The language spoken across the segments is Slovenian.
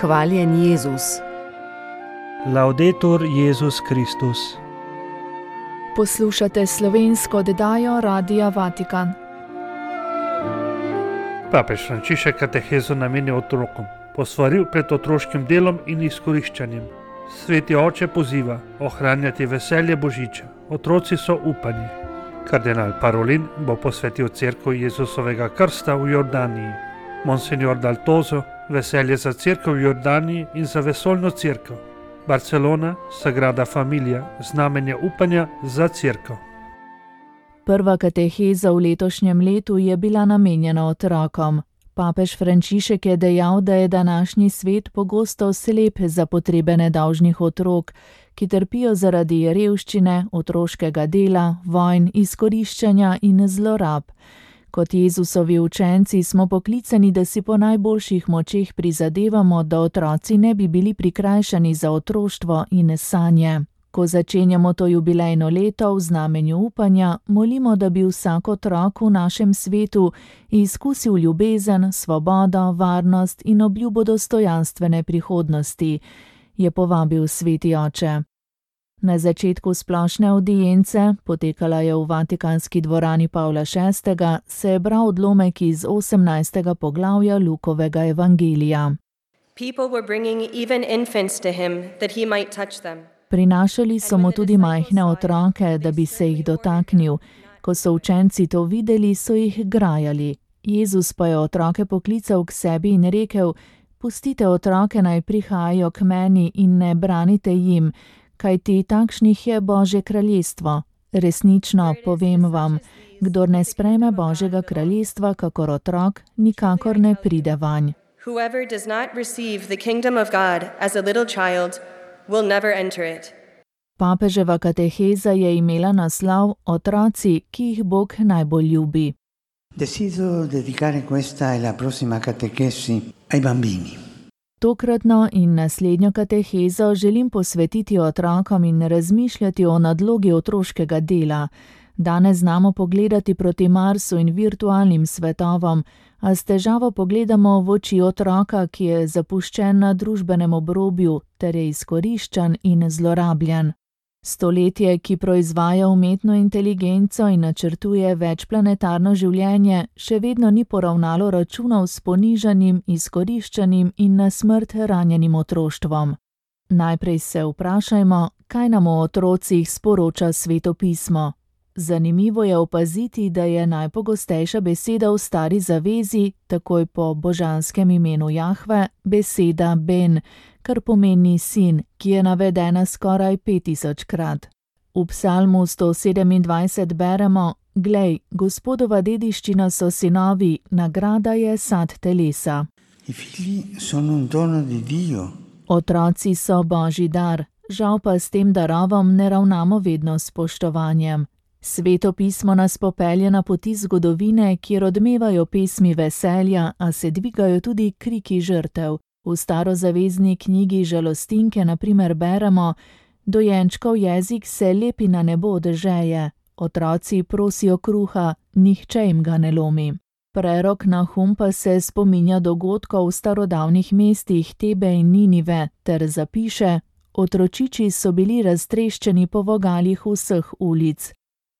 Hvaljen Jezus. Laudetur Jezus Kristus. Poslušate slovensko oddajo Radia Vatikan. Papež Frančišek katehezo namenja otrokom, posvaril pred otroškim delom in izkoriščanjem. Sveti oče poziva ohranjati veselje božiča. Otroci so upanje. Kardinal Parolin bo posvetil cerkev Jezusovega krsta v Jordaniji. Monsignor Daltozo veselje za cerkev v Jordaniji in za vesoljno cerkev. Barcelona, Sagrada Familia, znamenje upanja za cerkev. Prva kateheza v letošnjem letu je bila namenjena otrokom. Papež Frančišek je dejal, da je današnji svet pogosto slep za potrebe nedolžnih otrok, ki trpijo zaradi revščine, otroškega dela, vojn, izkoriščanja in zlorab. Kot Jezusovi učenci smo poklicani, da si po najboljših močeh prizadevamo, da otroci ne bi bili prikrajšani za otroštvo in sanje. Ko začenjamo to jubilejno leto v znamenju upanja, molimo, da bi vsak otrok v našem svetu izkusil ljubezen, svobodo, varnost in obljubo dostojanstvene prihodnosti, je povabil sveti oče. Na začetku splošne avdience, potekala je v Vatikanski dvorani Pavla VI., se je bral odlomek iz 18. poglavja Lukovega evangelija. People were bringing even infants to him that he might touch them. Prinašali so mu tudi majhne otroke, da bi se jih dotaknil. Ko so učenci to videli, so jih grajali. Jezus pa je otroke poklical k sebi in rekel: "Pustite otroke, naj prihajajo k meni in ne branite jim, kajti takšnih je Božje kraljestvo. Resnično, povem vam, kdor ne sprejme Božjega kraljestva kakor otrok, nikakor ne pride vanj." Whoever does not receive the kingdom of God as a little child will never enter it. Papeževa kateheza je imela naslov Otroci, ki jih Bog najbolj ljubi. Desidero dedicare questa e la prossima catechesi ai bambini. Tokratno in naslednjo katehezo želim posvetiti otrokom in razmišljati o nadlogi otroškega dela. Danes znamo pogledati proti Marsu in virtualnim svetovom, a s težavo pogledamo v oči otroka, ki je zapuščen na družbenem obrobju ter je izkoriščan in zlorabljen. Stoletje, ki proizvaja umetno inteligenco in načrtuje večplanetarno življenje, še vedno ni poravnalo računov s ponižanim, izkoriščanim in na smrt ranjenim otroštvom. Najprej se vprašajmo, kaj nam o otrocih sporoča Sveto pismo. Zanimivo je opaziti, da je najpogostejša beseda v Stari zavezi, takoj po božanskem imenu Jahve, beseda Ben, kar pomeni sin, ki je navedena skoraj 5000-krat. V psalmu 127 beremo: "Glej, Gospodova dediščina so sinovi, nagrada je sad telesa." I figli sono un dono di Dio. Otroci so Božji dar, žal pa s tem darovom ne ravnamo vedno s spoštovanjem. Sveto pismo nas popelje na poti zgodovine, kjer odmevajo pesmi veselja, a se dvigajo tudi kriki žrtev. V starozavezni knjigi Žalostinke na primer beremo: "Dojenčkov jezik se lepi na nebo od žeje, otroci prosijo kruha, nihče jim ga ne lomi." Prerok Nahum pa se spominja dogodkov v starodavnih mestih Tebe in Ninive ter zapiše: "Otročiči so bili raztreščeni po vogalih vseh ulic."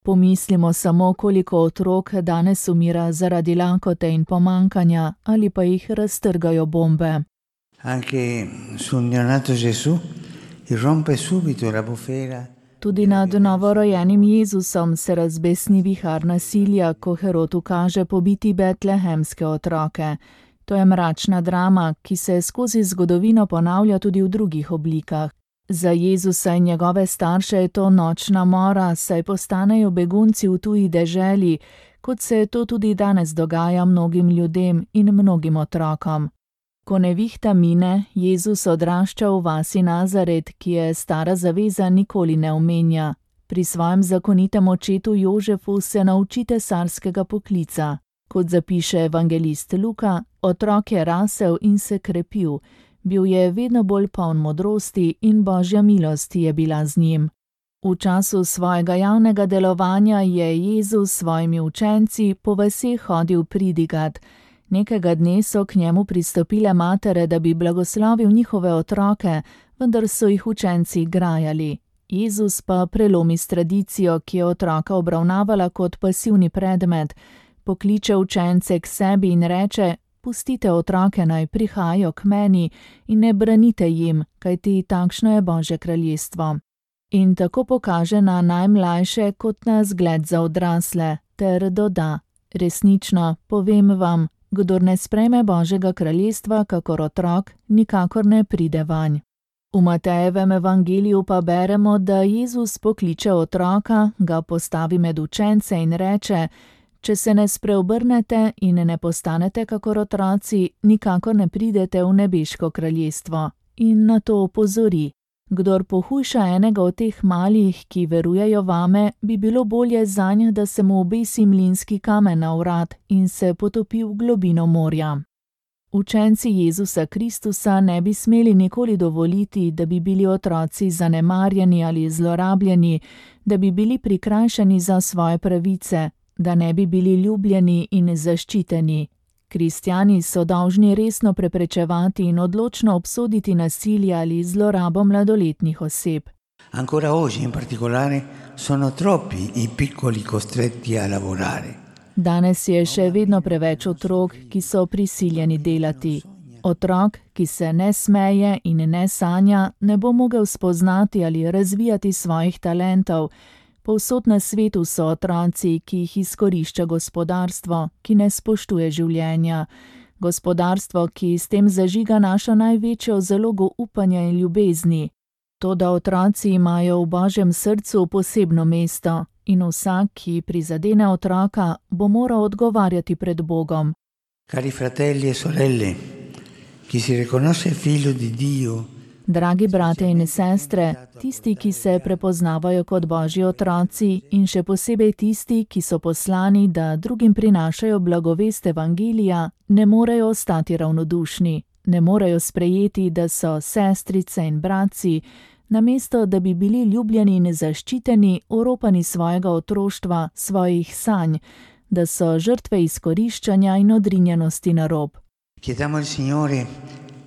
Pomislimo samo, koliko otrok danes umira zaradi lakote in pomankanja ali pa jih raztrgajo bombe. Anche sul neonato Gesù irrompe subito la bufera. Tudi nad novorojenim Jezusom se razbesni vihar nasilja, ko Herod ukaže pobiti betlehemske otroke. To je mračna drama, ki se skozi zgodovino ponavlja tudi v drugih oblikah. Za Jezusa in njegove starše je to nočna mora, saj postanejo begunci v tuji deželi, kot se to tudi danes dogaja mnogim ljudem in mnogim otrokom. Ko nevihta mine, Jezus odrašča v vasi Nazaret, ki je Stara zaveza nikoli ne omenja. Pri svojem zakonitem očetu Jožefu se nauči cesarskega poklica. Kot zapiše evangelist Luka, otrok je rasel in se krepil. Bil je vedno bolj poln modrosti in Božja milost je bila z njim. V času svojega javnega delovanja je Jezus s svojimi učenci po vaseh hodil pridigat: Nekega dne so k njemu pristopile matere, da bi blagoslovil njihove otroke, vendar so jih učenci grajali. Jezus pa prelomi s tradicijo, ki je otroka obravnavala kot pasivni predmet, pokliče učence k sebi in reče: pustite otroke naj prihajajo k meni in ne branite jim, kajti takšno je Božje kraljestvo. In tako pokaže na najmlajše kot na zgled za odrasle, ter doda: resnično, povem vam, kdor ne sprejme Božjega kraljestva kakor otrok, nikakor ne pride vanj. V Matejevem evangeliju pa beremo, da Jezus pokliče otroka, ga postavi med učence in reče: če se ne spreobrnete in ne postanete kakor otroci, nikakor ne pridete v nebeško kraljestvo. In na to opozori: kdor pohujša enega od teh malih, ki verujejo vame, bi bilo bolje zanj, da se mu obesi mlinski kamen na vrat in se potopi v globino morja. Učenci Jezusa Kristusa ne bi smeli nikoli dovoliti, da bi bili otroci zanemarjeni ali zlorabljeni, da bi bili prikrajšani za svoje pravice, da ne bi bili ljubljeni in zaščiteni. Kristjani so dolžni resno preprečevati in odločno obsoditi nasilje ali zlorabo mladoletnih oseb. Ancora oggi in particolare sono troppi i piccoli costretti a lavorare. Danes je še vedno preveč otrok, ki so prisiljeni delati. Otrok, ki se ne smeje in ne sanja, ne bo mogel spoznati ali razvijati svojih talentov. Povsod na svetu so otroci, ki jih izkorišča gospodarstvo, ki ne spoštuje življenja. Gospodarstvo, ki s tem zažiga našo največjo zalogo upanja in ljubezni. Toda otroci imajo v Božjem srcu posebno mesto in vsak, ki prizadene otroka, bo moral odgovarjati pred Bogom. Cari fratelli e sorelle, chi si riconosce figlio di Dio, Dragi brate in sestre, tisti, ki se prepoznavajo kot Božji otroci in še posebej tisti, ki so poslani, da drugim prinašajo blagovest evangelija, ne morejo ostati ravnodušni, ne morejo sprejeti, da so sestrice in bratci, namesto da bi bili ljubljeni in zaščiteni, oropani svojega otroštva, svojih sanj, da so žrtve izkoriščanja in odrinjenosti na rob. chiediamo al Signore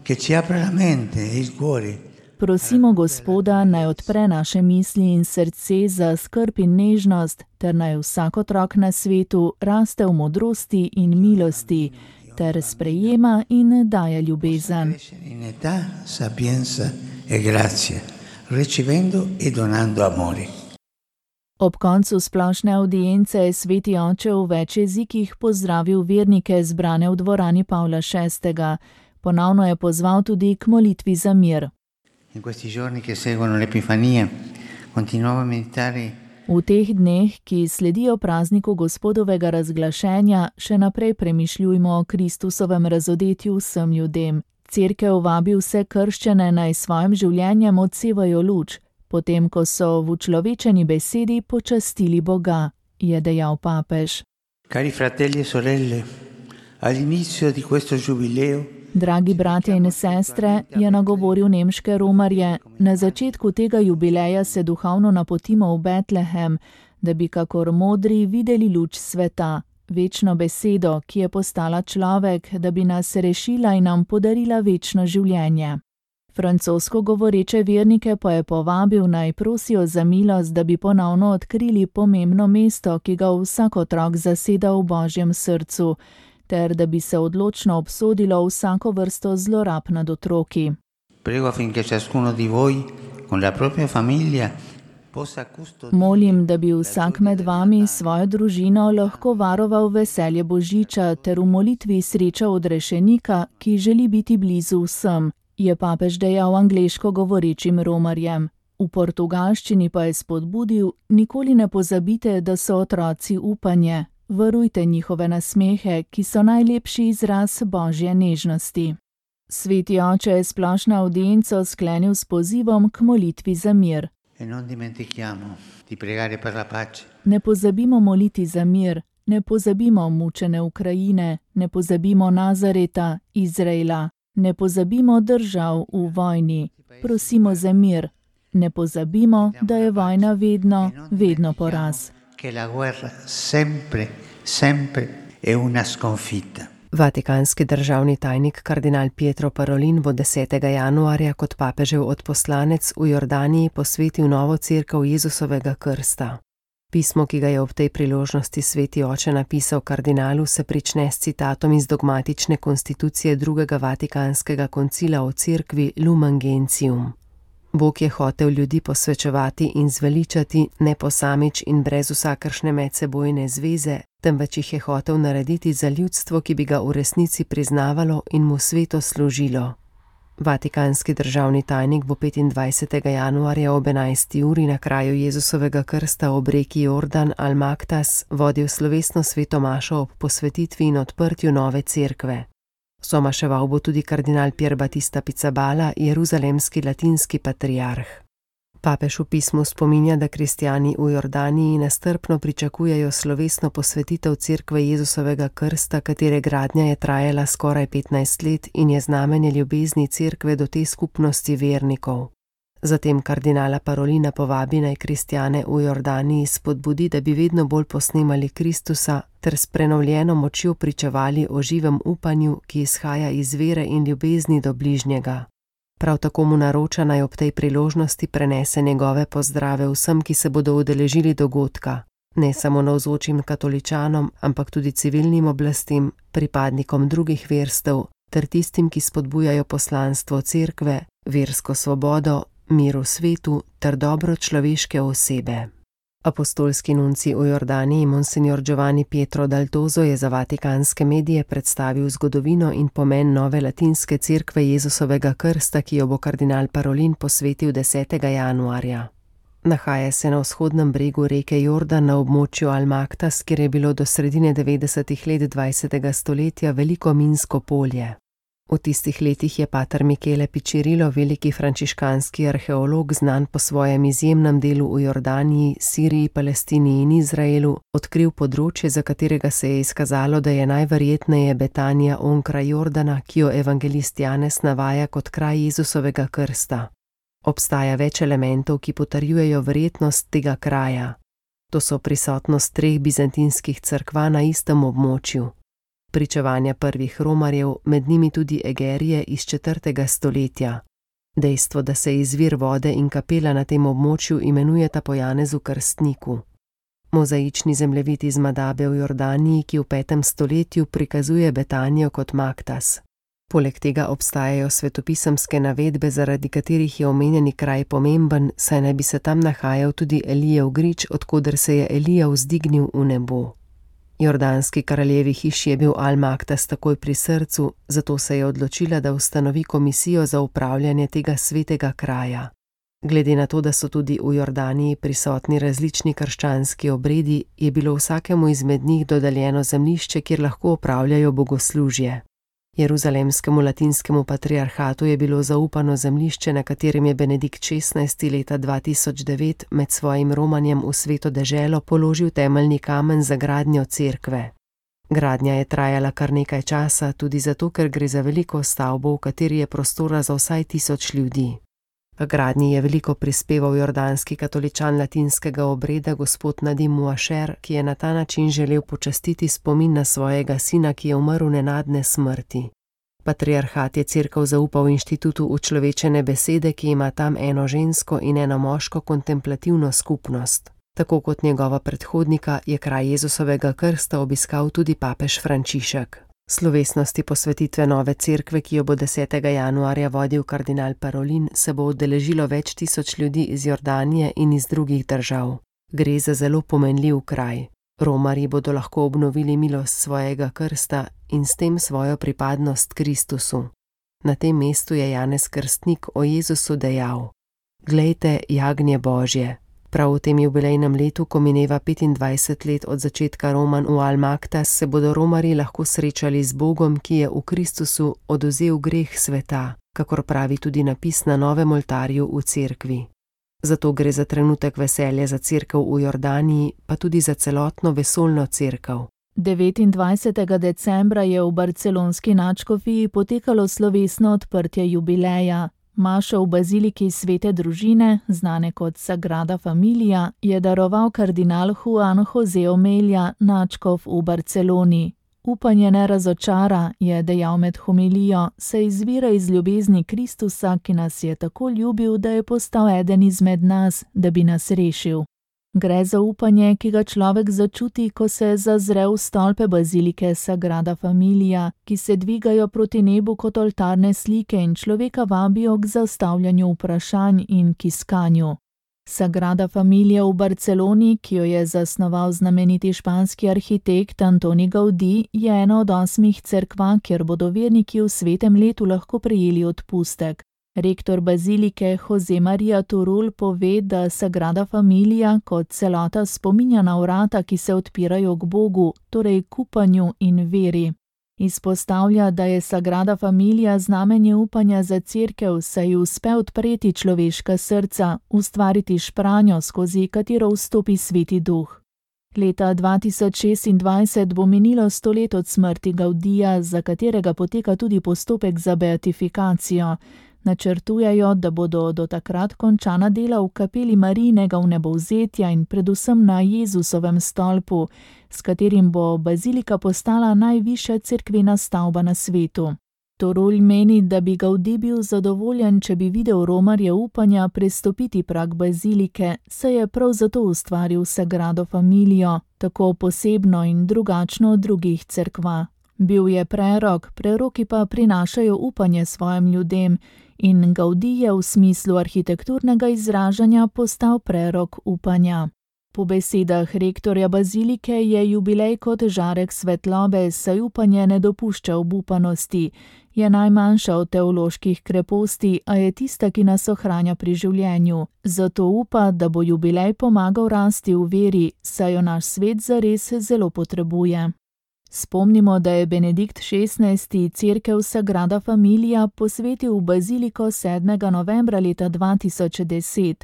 che ci apra la mente e il cuore. Prosimo Gospoda, naj odpre naše misli in srce za skrb in nežnost, ter naj vsak otrok na svetu raste v modrosti in milosti, ter sprejema in daje ljubezen. In età, sapienza e grazia, ricevendo e donando amore. Ob koncu splošne avdience je sveti oče v več jezikih pozdravil vernike zbrane v dvorani Pavla VI. Ponovno je pozval tudi k molitvi za mir. In questi giorni che seguono l'Epifania, continuavo a meditare. V teh dneh, ki sledijo prazniku Gospodovega razglašenja, še naprej premišljujmo o Kristusovem razodetju vsem ljudem. Cerkev vabi vse krščene, naj svojim življenjem odsevajo luč, potem ko so v učlovečeni besedi počastili Boga, je dejal papež. Cari fratelli e sorelle, all'inizio di questo giubileo, Dragi bratje in sestre, je nagovoril nemške romarje, na začetku tega jubileja se duhovno napotimo v Betlehem, da bi kakor modri videli luč sveta, večno besedo, ki je postala človek, da bi nas rešila in nam podarila večno življenje. Francosko govoreče vernike pa je povabil, naj prosijo za milost, da bi ponovno odkrili pomembno mesto, ki ga vsak otrok zaseda v Božjem srcu, ter da bi se odločno obsodilo vsako vrsto zlorab nad otroki. prego affinché ciascuno di voi, con la propria famiglia, possa custodire. Molim, da bi vsak med vami svojo družino lahko varoval veselje Božiča ter v molitvi srečal odrešenika, ki želi biti blizu vsem, je papež dejal angleško govorečim romarjem. V portugalščini pa je spodbudil: nikoli ne pozabite, da so otroci upanje. Varujte njihove nasmehe, ki so najlepši izraz Božje nežnosti. Sveti oče je splošno avdienco sklenil s pozivom k molitvi za mir. E non dimentichiamo di pregare per la pace. Ne pozabimo moliti za mir, ne pozabimo mučene Ukrajine, ne pozabimo Nazareta, Izraela, ne pozabimo držav v vojni. Prosimo za mir. Ne pozabimo, da je vojna vedno poraz. Che la guerra sempre è una sconfitta. Vatikanski državni tajnik kardinal Pietro Parolin bo 10. januarja kot papežev odposlanec v Jordaniji posvetil novo cerkev Jezusovega krsta. Pismo, ki ga je ob tej priložnosti sveti oče napisal kardinalu, se prične s citatom iz dogmatične konstitucije drugega Vatikanskega koncila o cerkvi Lumen Gentium. Bog je hotel ljudi posvečevati in zveličati ne posamič in brez vsakršne medsebojne zveze, temveč jih je hotel narediti za ljudstvo, ki bi ga v resnici priznavalo in mu sveto služilo. Vatikanski državni tajnik bo 25. januarja ob 11. uri na kraju Jezusovega krsta ob reki Jordan Al-Maktas vodil slovesno sveto mašo ob posvetitvi in odprtju nove cerkve. Somaševal bo tudi kardinal Pier Battista Pizzaballa, jeruzalemski latinski patriarh. Papež v pismu spominja, da kristjani v Jordaniji nestrpno pričakujejo slovesno posvetitev cerkve Jezusovega krsta, katere gradnja je trajala skoraj 15 let in je znamenje ljubezni cerkve do te skupnosti vernikov. Zatem kardinala Parolina povabi naj kristjane v Jordaniji spodbudi, da bi vedno bolj posnemali Kristusa ter s prenovljeno močjo pričevali o živem upanju, ki izhaja iz vere in ljubezni do bližnjega. Prav tako mu naroča naj ob tej priložnosti prenese njegove pozdrave vsem, ki se bodo udeležili dogodka, ne samo navzočim katoličanom, ampak tudi civilnim oblastim, pripadnikom drugih verstev ter tistim, ki spodbujajo poslanstvo cerkve, versko svobodo, mir v svetu ter dobro človeške osebe. Apostolski nuncij v Jordaniji Monsignor Giovanni Pietro Daltozo je za vatikanske medije predstavil zgodovino in pomen nove latinske cerkve Jezusovega krsta, ki jo bo kardinal Parolin posvetil 10. januarja. Nahaja se na vzhodnem bregu reke Jordan na območju Al-Maktas, kjer je bilo do sredine 90. let 20. stoletja veliko minsko polje. V tistih letih je pater Michele Piccirillo, veliki frančiškanski arheolog, znan po svojem izjemnem delu v Jordaniji, Siriji, Palestini in Izraelu, odkril področje, za katerega se je izkazalo, da je najverjetneje Betanija onkraj Jordana, ki jo evangelist Janez navaja kot kraj Jezusovega krsta. Obstaja več elementov, ki potrjujejo verjetnost tega kraja. To so prisotnost 3 bizantinskih cerkva na istem območju. Pričevanja prvih romarjev, med njimi tudi Egerije iz 4. stoletja. Dejstvo, da se izvir vode in kapela na tem območju imenujeta po Janezu Krstniku. Mozaični zemljevid iz Madabe v Jordaniji, ki v 5. stoletju prikazuje Betanijo kot Maktas. Poleg tega obstajajo svetopisemske navedbe, zaradi katerih je omenjeni kraj pomemben, saj naj bi se tam nahajal tudi Elijev grič, od koder se je Elija vzdignil v nebo. Jordanski kraljevi hiši je bil Al-Maktas takoj pri srcu, zato se je odločila, da ustanovi komisijo za upravljanje tega svetega kraja. Glede na to, da so tudi v Jordaniji prisotni različni krščanski obredi, je bilo vsakemu izmed njih dodeljeno zemljišče, kjer lahko opravljajo bogoslužje. Jeruzalemskemu latinskemu patriarhatu je bilo zaupano zemljišče, na katerem je Benedikt XVI. Leta 2009 med svojim romanjem v sveto deželo položil temeljni kamen za gradnjo cerkve. Gradnja je trajala kar nekaj časa, tudi zato, ker gre za veliko stavbo, v kateri je prostora za vsaj 1000 ljudi. K gradnji je veliko prispeval jordanski katoličan latinskega obreda gospod Nadim Muašer, ki je na ta način želel počastiti spomin na svojega sina, ki je umrl nenadne smrti. Patriarhat je cerkev zaupal inštitutu učlovečene besede, ki ima tam eno žensko in eno moško kontemplativno skupnost. Tako kot njegova predhodnika je kraj Jezusovega krsta obiskal tudi papež Frančišek. Slovesnosti posvetitve nove cerkve, ki jo bo 10. januarja vodil kardinal Parolin, se bo udeležilo več tisoč ljudi iz Jordanije in iz drugih držav. Gre za zelo pomenljiv kraj. Romarji bodo lahko obnovili milost svojega krsta in s tem svojo pripadnost Kristusu. Na tem mestu je Janez Krstnik o Jezusu dejal: "Glejte, jagnje Božje." Prav v tem jubilejnem letu, ko mineva 25 let od začetka romanj v Al-Maktas, se bodo romarji lahko srečali z Bogom, ki je v Kristusu odvzel greh sveta, kakor pravi tudi napis na novem oltarju v cerkvi. Zato gre za trenutek veselja za cerkev v Jordaniji, pa tudi za celotno vesoljno cerkev. 29. decembra je v barcelonski nadškofiji potekalo slovesno odprtje jubileja. Mašo v baziliki Svete družine, znane kot Sagrada Familia, je daroval kardinal Juan José Omelia, nadškof v Barceloni. Upanje ne razočara, je dejal med homilijo, saj izvira iz ljubezni Kristusa, ki nas je tako ljubil, da je postal eden izmed nas, da bi nas rešil. Gre za upanje, ki ga človek začuti, ko se zazre v stolpe bazilike Sagrada Familia, ki se dvigajo proti nebu kot oltarne slike in človeka vabijo k zastavljanju vprašanj in k iskanju. Sagrada Familia v Barceloni, ki jo je zasnoval znameniti španski arhitekt Antoni Gaudí, je ena od 8 cerkva, kjer bodo verniki v svetem letu lahko prejeli odpustek. Rektor bazilike Jose Maria Turul pove, da Sagrada Familia kot celota spominja na vrata, ki se odpirajo k Bogu, torej k upanju in veri. Izpostavlja, da je Sagrada Familia znamenje upanja za cerkev, saj ji uspe odpreti človeška srca, ustvariti špranjo, skozi katero vstopi Sveti Duh. Leta 2026 bo minilo 100 let od smrti Gaudija, za katerega poteka tudi postopek za beatifikacijo. Načrtujejo, da bodo do takrat končana dela v kapeli Marijinega vnebovzetja in predvsem na Jezusovem stolpu, s katerim bo bazilika postala najvišja cerkvena stavba na svetu. Turul meni, da bi Gaudí bil zadovoljen, če bi videl romarje upanja prestopiti prag bazilike, saj je prav zato ustvaril Sagrado Familio, tako posebno in drugačno od drugih cerkva. Bil je prerok, preroki pa prinašajo upanje svojim ljudem in Gaudí je v smislu arhitekturnega izražanja postal prerok upanja. Po besedah rektorja bazilike je jubilej kot žarek svetlobe, saj upanje ne dopušča obupanosti. Je najmanjša od teoloških kreposti, a je tista, ki nas ohranja pri življenju. Zato upa, da bo jubilej pomagal rasti v veri, saj jo naš svet zares zelo potrebuje. Spomnimo, da je Benedikt XVI. Cerkev Sagrada Familia posvetil v baziliko 7. novembra leta 2010.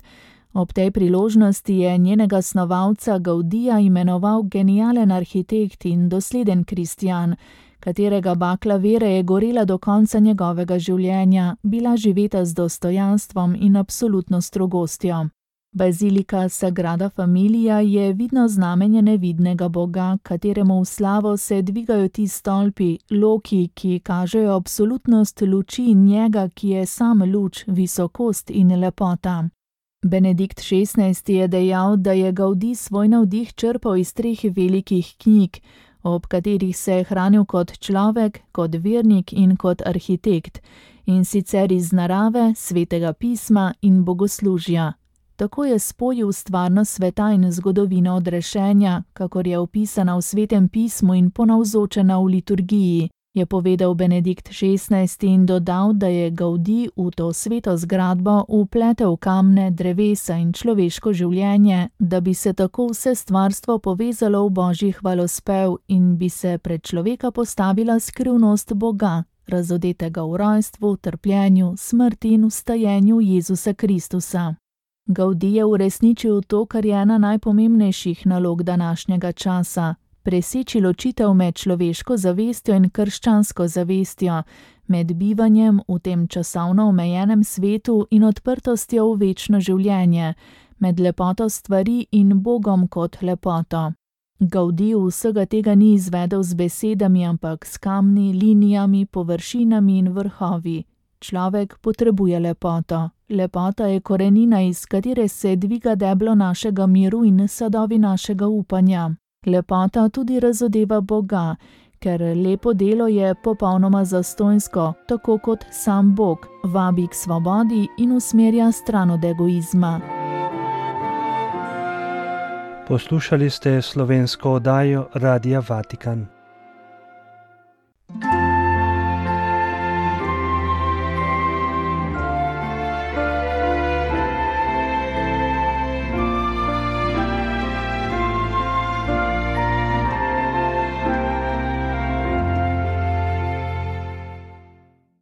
Ob tej priložnosti je njenega snovalca Gaudija imenoval genijalen arhitekt in dosleden kristjan, katerega bakla vere je gorela do konca njegovega življenja, bila živeta z dostojanstvom in absolutno strogostjo. Bazilika Sagrada Familia je vidno znamenje nevidnega Boga, kateremu v slavo se dvigajo ti stolpi, loki, ki kažejo absolutnost luči njega, ki je sam luč, visokost in lepota. Benedikt XVI. Je dejal, da je Gaudí svoj navdih črpal iz 3 velikih knjig, ob katerih se je hranil kot človek, kot vernik in kot arhitekt, in sicer iz narave, svetega pisma in bogoslužja. Tako je spojil stvarnost sveta in zgodovino odrešenja, kakor je opisana v svetem pismu in ponavzočena v liturgiji, je povedal Benedikt XVI. In dodal, da je Gaudí v to sveto zgradbo vpletel kamne, drevesa in človeško življenje, da bi se tako vse stvarstvo povezalo v božji hvalospev in bi se pred človeka postavila skrivnost Boga, razodetega v rojstvu, trpljenju, smrti in vstajenju Jezusa Kristusa. Gaudí je uresničil to, kar je ena najpomembnejših nalog današnjega časa, preseči ločitev med človeško zavestjo in krščansko zavestjo, med bivanjem v tem časovno omejenem svetu in odprtostjo v večno življenje, med lepoto stvari in Bogom kot lepoto. Gaudí vsega tega ni izvedel z besedami, ampak s kamni, linijami, površinami in vrhovi. Človek potrebuje lepoto. Lepota je korenina, iz katere se dviga deblo našega miru in sadovi našega upanja. Lepota tudi razodeva Boga, ker lepo delo je popolnoma zastonjsko, tako kot sam Bog, vabi k svobodi in usmerja stran od egoizma. Poslušali ste slovensko oddajo Radia Vatikan.